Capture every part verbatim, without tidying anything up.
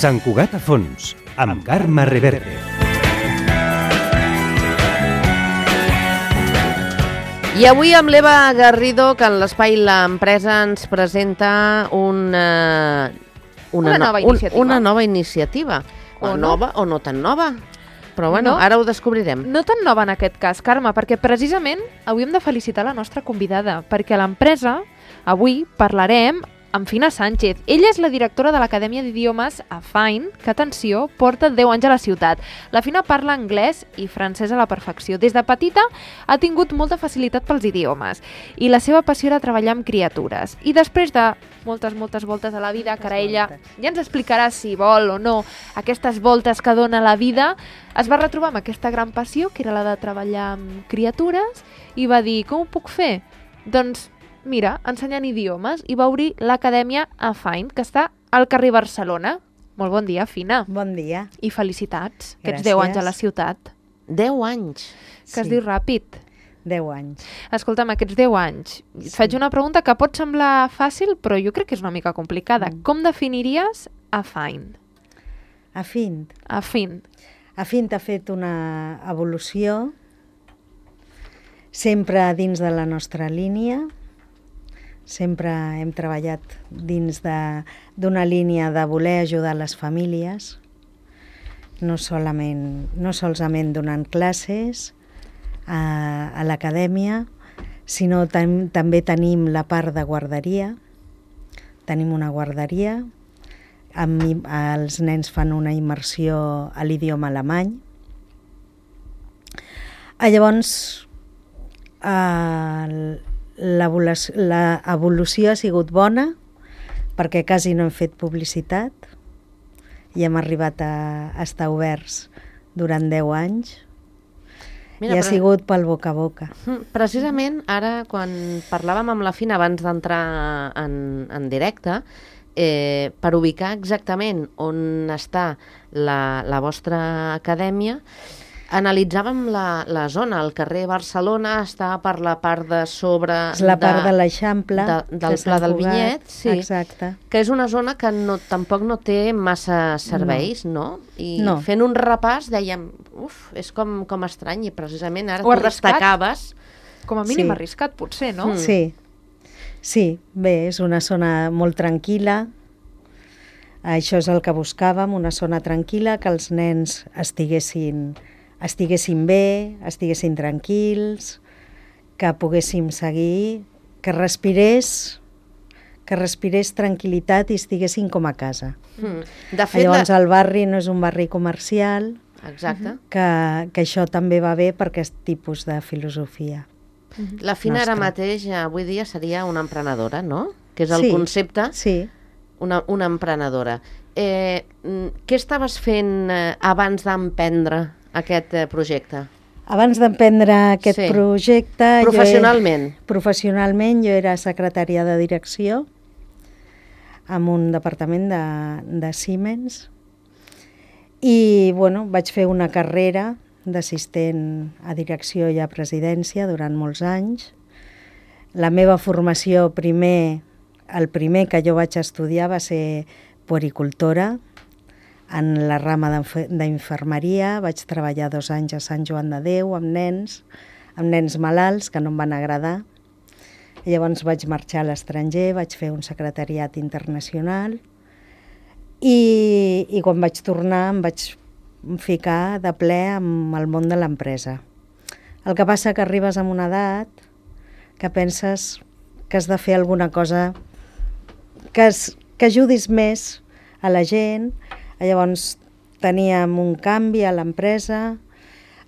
Sant Cugat a fons, amb Carme Reverte. I avui amb l'Eva Garrido, que en l'espai L'Empresa ens presenta una, una, una nova no, iniciativa. Un, una nova iniciativa. O, o no. nova o no tan nova. Però bueno, no, ara ho descobrirem. No tan nova en aquest cas, Carme, perquè precisament avui hem de felicitar la nostra convidada, perquè a l'empresa avui parlarem amb Fina Sánchez. Ella és la directora de l'Acadèmia d'Idiomes A Fine, que, atenció, porta deu anys a la ciutat. La Fina parla anglès i francès a la perfecció. Des de petita ha tingut molta facilitat pels idiomes i la seva passió era treballar amb criatures. I després de moltes, moltes voltes a la vida, que ara ella ja ens explicarà si vol o no aquestes voltes que dona la vida, es va retrobar amb aquesta gran passió, que era la de treballar amb criatures, i va dir, com ho puc fer? Doncs mira, ensenyant idiomes, i va obrir l'Acadèmia A Fine, que està al carrer Barcelona. Molt bon dia, Fina. Bon dia. I felicitats, que ets Gràcies. deu anys a la ciutat. deu anys. Que es Sí. diu ràpid. deu anys. Escolta'm, aquests deu anys, et faig una pregunta que pot semblar fàcil, però jo crec que és una mica complicada. Mm. Com definiries A Fine? A Fint. A Fine. A Fint ha fet una evolució sempre dins de la nostra línia. Sempre hem treballat dins d'una línia de voler ajudar les famílies, no solament, no solament donant classes a, a l'acadèmia, sinó tam, també tenim la part de guarderia. Tenim una guarderia, amb, els nens fan una immersió a l'idioma alemany. Ah, llavors, eh, l'evolució ha sigut bona perquè quasi no hem fet publicitat i hem arribat a, a estar oberts durant deu anys. Mira, I ha però... sigut pel boca a boca. Precisament ara, quan parlàvem amb la Fina abans d'entrar en, en directe, eh, per ubicar exactament on està la, la vostra acadèmia, analitzàvem la, la zona. El carrer Barcelona està per la part de sobre... És la part de, de l'Eixample. De, del Pla del Vinyet, sí. Exacte. Que és una zona que no, tampoc no té massa serveis, no? no? I no. fent un repàs dèiem, uf, és com, com estrany, i precisament ara o tu arriscat. destacaves... Com a mínim sí. arriscat, potser, no? Mm. Sí. Sí, bé, és una zona molt tranquil·la. Això és el que buscàvem, una zona tranquil·la, que els nens estiguessin... estiguessin bé, estiguessin tranquils, que poguéssim seguir, que respirés, que respirés tranquil·litat i estiguessin com a casa. Mm. De fet, Llavors la... el barri no és un barri comercial, Exacte. que, que això també va bé per aquest tipus de filosofia. La Fina ara nostra. mateix, avui dia, seria una emprenedora, no? Que és el Sí, concepte, sí. una, una emprenedora. Eh, què estaves fent eh, abans d'emprendre aquest eh, projecte? Abans d'emprendre aquest Sí. projecte... Professionalment. Jo, professionalment, jo era secretària de direcció en un departament de, de Siemens i bueno, vaig fer una carrera d'assistent a direcció i a presidència durant molts anys. La meva formació primer, el primer que jo vaig estudiar va ser puericultora, en la rama d'infermeria. Vaig treballar dos anys a Sant Joan de Déu amb nens, amb nens malalts que no em van agradar. I llavors vaig marxar a l'estranger, vaig fer un secretariat internacional i, i quan vaig tornar em vaig ficar de ple amb el món de l'empresa. El que passa que arribes a una edat que penses que has de fer alguna cosa que, es, que ajudis més a la gent. Llavors teníem un canvi a l'empresa,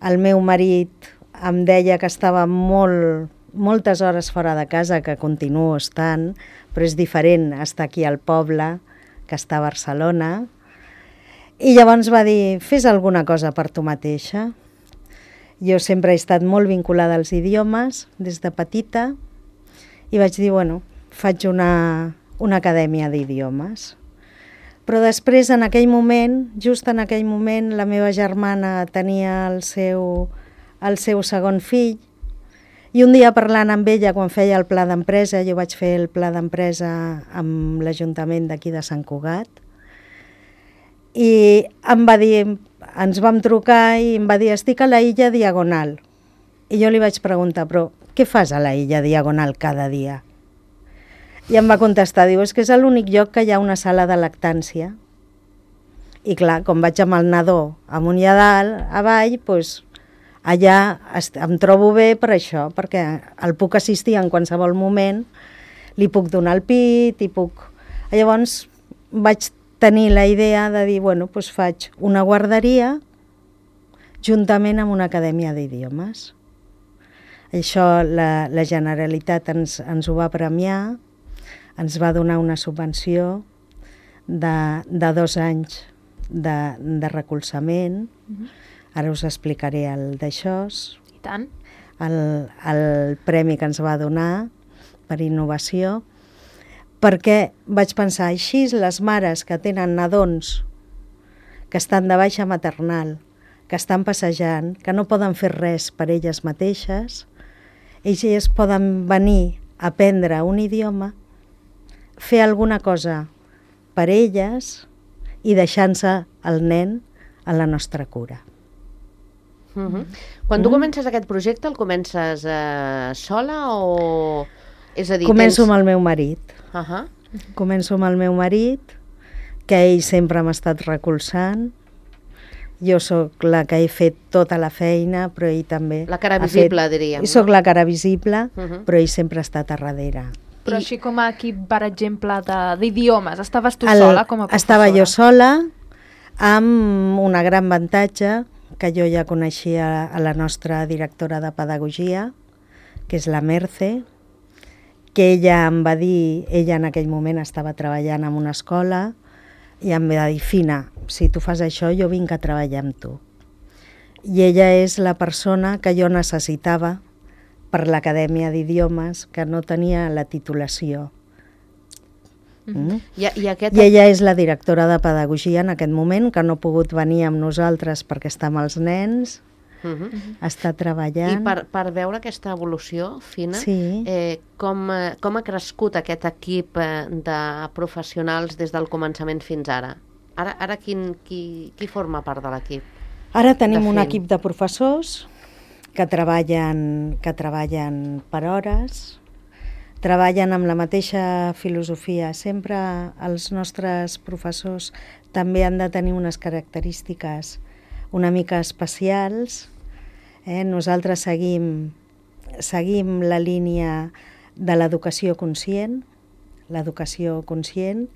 el meu marit em deia que estava molt, moltes hores fora de casa, que continuo estant, però és diferent estar aquí al poble que estar a Barcelona. I llavors va dir, fes alguna cosa per tu mateixa. Jo sempre he estat molt vinculada als idiomes des de petita i vaig dir, bueno, faig una, una acadèmia d'idiomes. Però després, en aquell moment, just en aquell moment, la meva germana tenia el seu, el seu segon fill i un dia parlant amb ella, quan feia el pla d'empresa, jo vaig fer el pla d'empresa amb l'Ajuntament d'aquí de Sant Cugat, I em va dir, ens vam trucar i em va dir, estic a la illa Diagonal. I jo li vaig preguntar, però què fas a la illa Diagonal cada dia? I em va contestar, diu, és que és l'únic lloc que hi ha una sala de lactància. I clar, com vaig amb el nadó amunt i a dalt, avall, doncs allà em trobo bé per això, perquè el puc assistir en qualsevol moment, li puc donar el pit, i puc... Llavors vaig tenir la idea de dir, bueno, doncs faig una guarderia juntament amb una acadèmia d'idiomes. Això la, la Generalitat ens, ens ho va premiar, ens va donar una subvenció de, de dos anys de, de recolzament. Mm-hmm. Ara us explicaré el d'això. I tant. El, el premi que ens va donar per innovació, perquè vaig pensar, així les mares que tenen nadons que estan de baixa maternal, que estan passejant, que no poden fer res per elles mateixes, elles poden venir a aprendre un idioma, fer alguna cosa per elles i deixant-se el nen a la nostra cura. Uh-huh. Quan tu comences aquest projecte, el comences eh, sola o... És a dir, Començo tens... amb el meu marit. Uh-huh. Començo amb el meu marit, que ell sempre m'ha estat recolzant. Jo sóc la que he fet tota la feina, però ell també... La cara ha visible, fet... diríem. No? Soc la cara visible, uh-huh. però ell sempre ha estat a darrere. Però I... així com a equip, per exemple, d'idiomes, estaves tu el... sola com a professora? Estava jo sola, amb un gran avantatge, que jo ja coneixia a la nostra directora de pedagogia, que és la Merce, que ella em va dir, ella en aquell moment estava treballant en una escola, i em va dir, Fina, si tu fas això, jo vinc a treballar amb tu. I ella és la persona que jo necessitava per l'Acadèmia d'Idiomes, que no tenia la titulació. Mm. I, i, aquest... I ella és la directora de pedagogia en aquest moment, que no ha pogut venir amb nosaltres perquè està amb els nens, uh -huh. està treballant. I per, per veure aquesta evolució fina, sí. eh, com, eh, com ha crescut aquest equip eh, de professionals des del començament fins ara? Ara, ara quin, qui, qui forma part de l'equip? Ara tenim un equip de professors que treballen, que treballen per hores, treballen amb la mateixa filosofia. Sempre els nostres professors també han de tenir unes característiques una mica especials. Eh? Nosaltres seguim, seguim la línia de l'educació conscient. L'educació conscient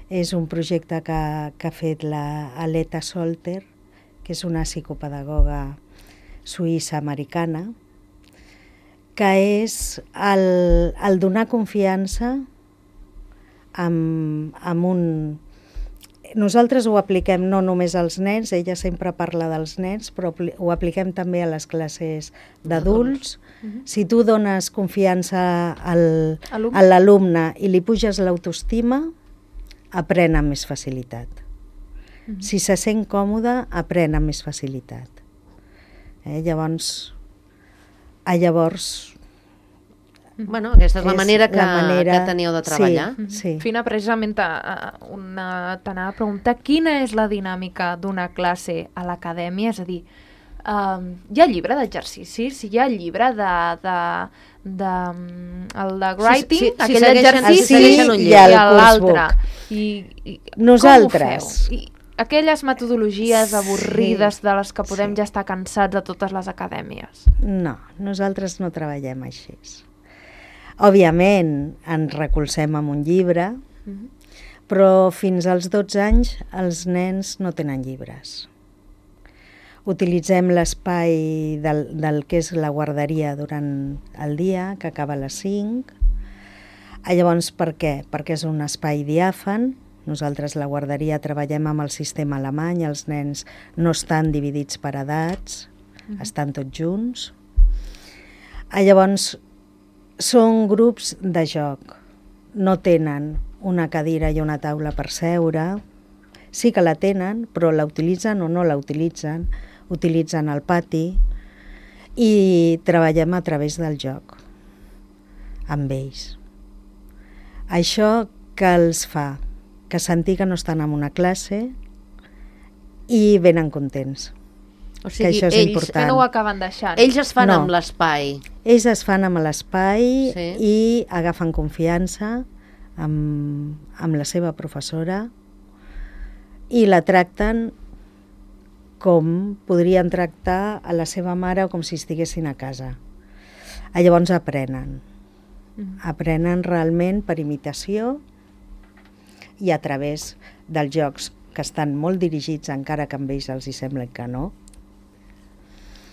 és un projecte que, que ha fet la Aleta Solter, que és una psicopedagoga suïssa-americana, que és el, el donar confiança amb, amb un... Nosaltres ho apliquem no només als nens, ella sempre parla dels nens, però ho apliquem també a les classes d'adults. Uh-huh. Si tu dones confiança al, a l'alumne i li puges l'autoestima, aprèn amb més facilitat. Uh-huh. Si se sent còmode, aprèn amb més facilitat. Eh, llavors... A llavors... Bueno, aquesta és la manera que, la manera... que teníeu de treballar. Sí, sí. Fina, precisament t'anava a preguntar quina és la dinàmica d'una classe a l'acadèmia, és a dir, um, hi ha llibre d'exercicis, si hi ha llibre de... de, de el de writing, sí, sí, aquell sí, exercici sí, i l'altre. I, i Nosaltres... Com ho feu? I, aquelles metodologies avorrides sí, de les que podem sí. ja estar cansats a totes les acadèmies. No, nosaltres no treballem així. Òbviament ens recolzem amb un llibre, uh-huh. però fins als dotze anys els nens no tenen llibres. Utilitzem l'espai del, del que és la guarderia durant el dia, que acaba a les cinc. Llavors, per què? Perquè és un espai diàfan. Nosaltres, la guarderia, treballem amb el sistema alemany, els nens no estan dividits per edats, uh-huh. estan tots junts. Llavors, són grups de joc, no tenen una cadira i una taula per seure, sí que la tenen, però la utilitzen o no la utilitzen, utilitzen el pati i treballem a través del joc, amb ells. Això que els fa? Que sentir que no estan en una classe, i venen contents. O Que això és ells, important. Que no ho acaben deixant. ells es fan No. amb l'espai. Ells es fan amb l'espai Sí. i agafen confiança amb, amb la seva professora i la tracten com podrien tractar a la seva mare o com si estiguessin a casa. I llavors aprenen. Mm. Aprenen realment per imitació i a través dels jocs que estan molt dirigits, encara que amb ells els hi sembla que no.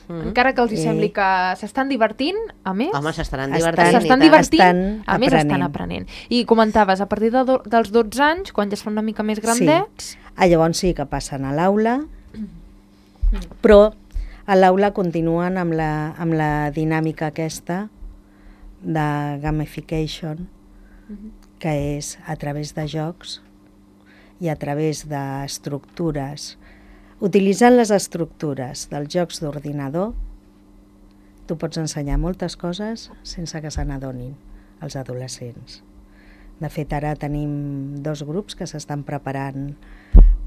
Mm. Encara que els hi Eh. sembli que s'estan divertint, a més... Home, s'estaran Estan- divertint. i S'estan tant. divertint, Estan a més estan aprenent. aprenent. I comentaves, a partir de do, dels dotze anys, quan ja es fan una mica més grandets... Ah, llavors sí que passen a l'aula, però a l'aula continuen amb la, amb la dinàmica aquesta de gamification, que és a través de jocs i a través d'estructures. Utilitzant les estructures dels jocs d'ordinador, tu pots ensenyar moltes coses sense que se n'adonin els adolescents. De fet, ara tenim dos grups que s'estan preparant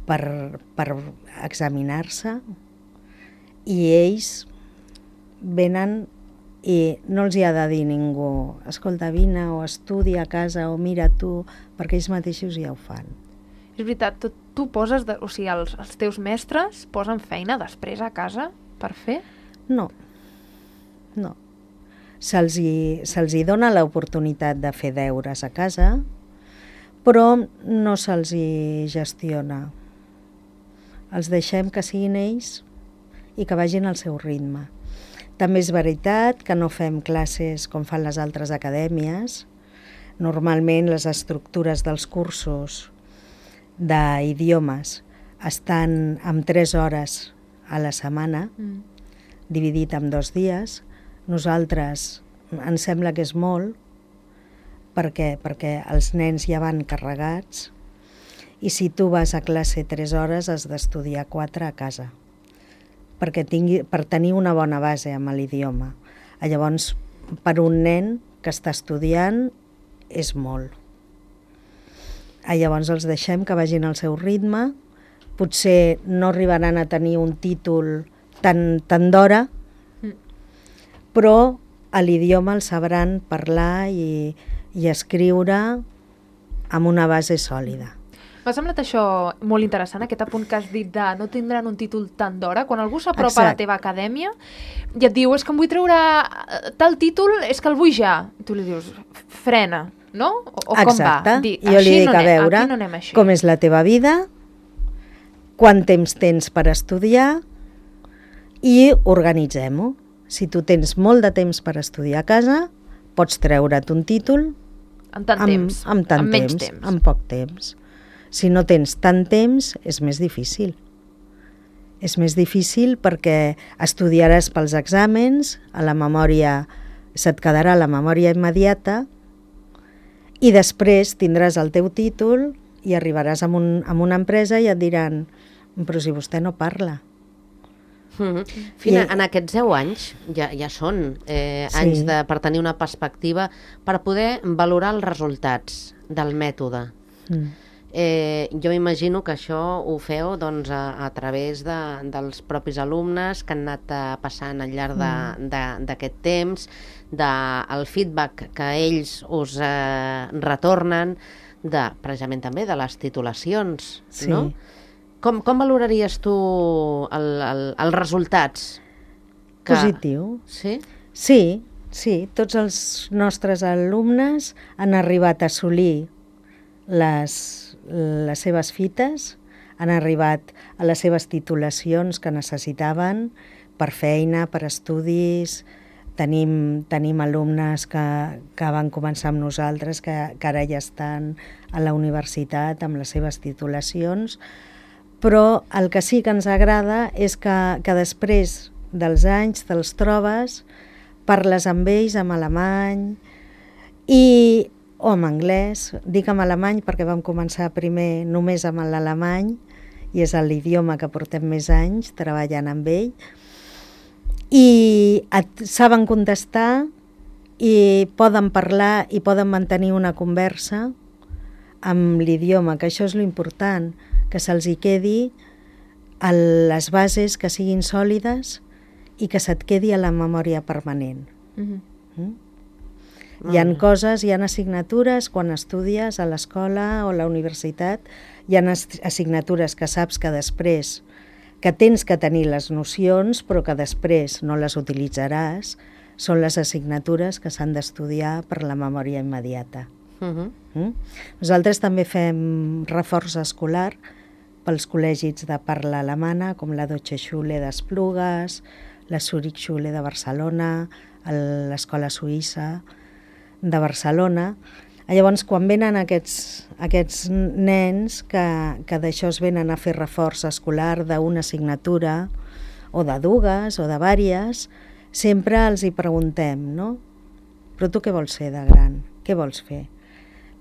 per, per examinar-se i ells venen i no els hi ha de dir ningú escolta, vine o estudia a casa o mira tu, perquè ells mateixos ja ho fan. És veritat, tu, tu poses... De, o sigui, els, els teus mestres posen feina després a casa per fer? No, no. Se'ls hi, se'ls hi dona l'oportunitat de fer deures a casa, però no se'ls hi gestiona. Els deixem que siguin ells i que vagin al seu ritme. També és veritat que no fem classes com fan les altres acadèmies. Normalment les estructures dels cursos d'idiomes estan amb tres hores a la setmana, Mm. dividit en dos dies. Nosaltres ens sembla que és molt, perquè, perquè els nens ja van carregats, i si tu vas a classe tres hores has d'estudiar quatre a casa, perquè tingui, per tenir una bona base amb l'idioma. Llavors, per un nen que està estudiant és molt. Llavors els deixem que vagin al seu ritme, potser no arribaran a tenir un títol tan, tan d'hora, però a l'idioma el sabran parlar i, i escriure amb una base sòlida. M'ha semblat això molt interessant, aquest apunt que has dit de no tindran un títol tan d'hora. Quan algú s'apropa a la Exacte. teva acadèmia i et diu, és que em vull treure eh, tal títol, és que el vull ja. I tu li dius, frena, no? O, o com Exacte. va? Dir, Jo li així dic, no a anem, veure, aquí no anem així. com és la teva vida, quant temps tens per estudiar i organitzem-ho. Si tu tens molt de temps per estudiar a casa, pots treure't un títol En tant amb, temps, amb tant amb menys temps, temps. amb poc temps. Si no tens tant temps, és més difícil. És més difícil perquè estudiaràs pels exàmens, a la memòria se't quedarà la memòria immediata i després tindràs el teu títol i arribaràs a, un, a una empresa i et diran però si vostè no parla. Mm-hmm. Fina, I- en aquests deu anys ja, ja són eh, Sí. anys de, per tenir una perspectiva, per poder valorar els resultats del mètode. Mm. Eh, jo imagino que això ho feu doncs, a, a través de, dels propis alumnes que han anat eh, passant al llarg de- de- d'aquest temps, del feedback que ells us eh, retornen, de, precisament també de les titulacions, Sí. no? Com, com valoraries tu el, el, els resultats? Positiu. Sí? Sí, sí, tots els nostres alumnes han arribat a assolir les, les seves fites, han arribat a les seves titulacions que necessitaven per feina, per estudis. Tenim, tenim alumnes que, que van començar amb nosaltres, que, que ara ja estan a la universitat amb les seves titulacions, però el que sí que ens agrada és que, que després dels anys te'ls trobes, parles amb ells en alemany i, o en anglès. Dic en alemany perquè vam començar primer només amb l'alemany i és l'idioma que portem més anys treballant amb ell, i et saben contestar i poden parlar i poden mantenir una conversa amb l'idioma, que això és l'important, que se'ls hi quedi el, les bases que siguin sòlides i que se't quedi a la memòria permanent. Mhm. Mm? Hi ha coses, hi ha assignatures quan estudies a l'escola o a la universitat, hi ha assignatures que saps que després, que tens que tenir les nocions però que després no les utilitzaràs, són les assignatures que s'han d'estudiar per la memòria immediata. Uh-huh. Mm? Nosaltres també fem reforç escolar pels col·legis de parla alemana, com la Deutsche Schule d'Esplugues, la Zurich Schule de Barcelona, l'escola suïssa de Barcelona. Llavors, quan venen aquests, aquests nens que, que d'això es venen a fer reforç escolar d'una assignatura, o de dues, o de vàries, sempre els hi preguntem, no? Però tu què vols fer de gran? Què vols fer?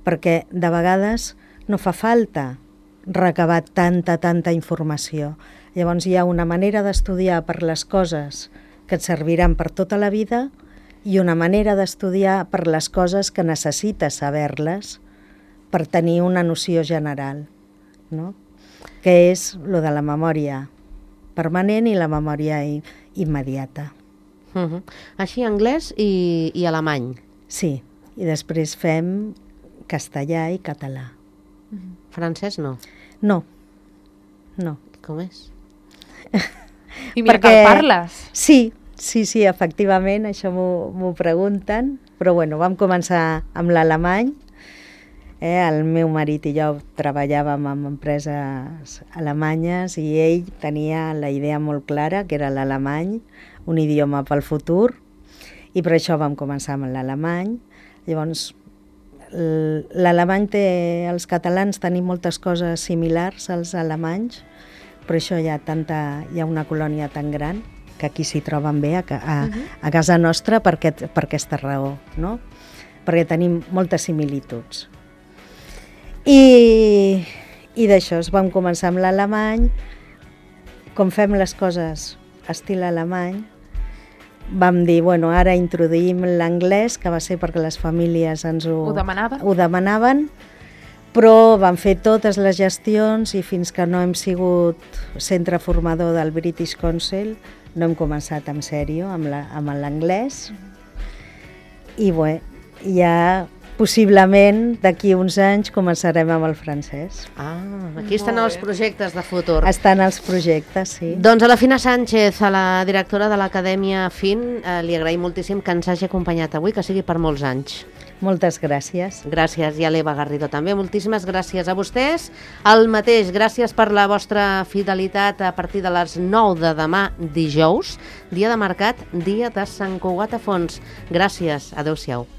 Perquè de vegades no fa falta recabar tanta, tanta informació. Llavors hi ha una manera d'estudiar per les coses que et serviran per tota la vida i una manera d'estudiar per les coses que necessites saber-les per tenir una noció general, no? Que és lo de la memòria permanent i la memòria immediata. Uh-huh. Així anglès i, i alemany. Sí, i després fem castellà i català. Uh-huh. Francès no? No, no. Com és? I mira Perquè... que el parles. Sí, sí, sí, efectivament, això m'ho pregunten, però bueno, vam començar amb l'alemany. Eh? El meu marit i jo treballàvem en empreses alemanyes i ell tenia la idea molt clara, que era l'alemany, un idioma pel futur, i per això vam començar amb l'alemany. Llavors, l'alemany té... Els catalans tenim moltes coses similars als alemanys, però això hi ha, tanta, hi ha una colònia tan gran que aquí s'hi troben bé a, a, a casa nostra per, aquest, per aquesta raó, no? Perquè tenim moltes similituds. I, i d'això vam començar amb l'alemany. Com fem les coses estil alemany, vam dir, bueno, ara introduïm l'anglès, que va ser perquè les famílies ens ho, Ho demanaven? ho demanaven, però vam fer totes les gestions i fins que no hem sigut centre formador del British Council no hem començat en sèrio amb l'anglès. I bé, ja possiblement d'aquí uns anys començarem amb el francès. Ah, aquí estan els projectes de futur. Estan els projectes, sí. Doncs a la Fina Sánchez, a la directora de l'Acadèmia F I N, eh, li agraïm moltíssim que ens hagi acompanyat avui, que sigui per molts anys. Moltes gràcies. Gràcies, i a l'Eva Garrido també. Moltíssimes gràcies a vostès. El mateix, gràcies per la vostra fidelitat a partir de les nou de demà dijous, dia de mercat, dia de Sant Cugat a Fons. Gràcies, adeu-siau.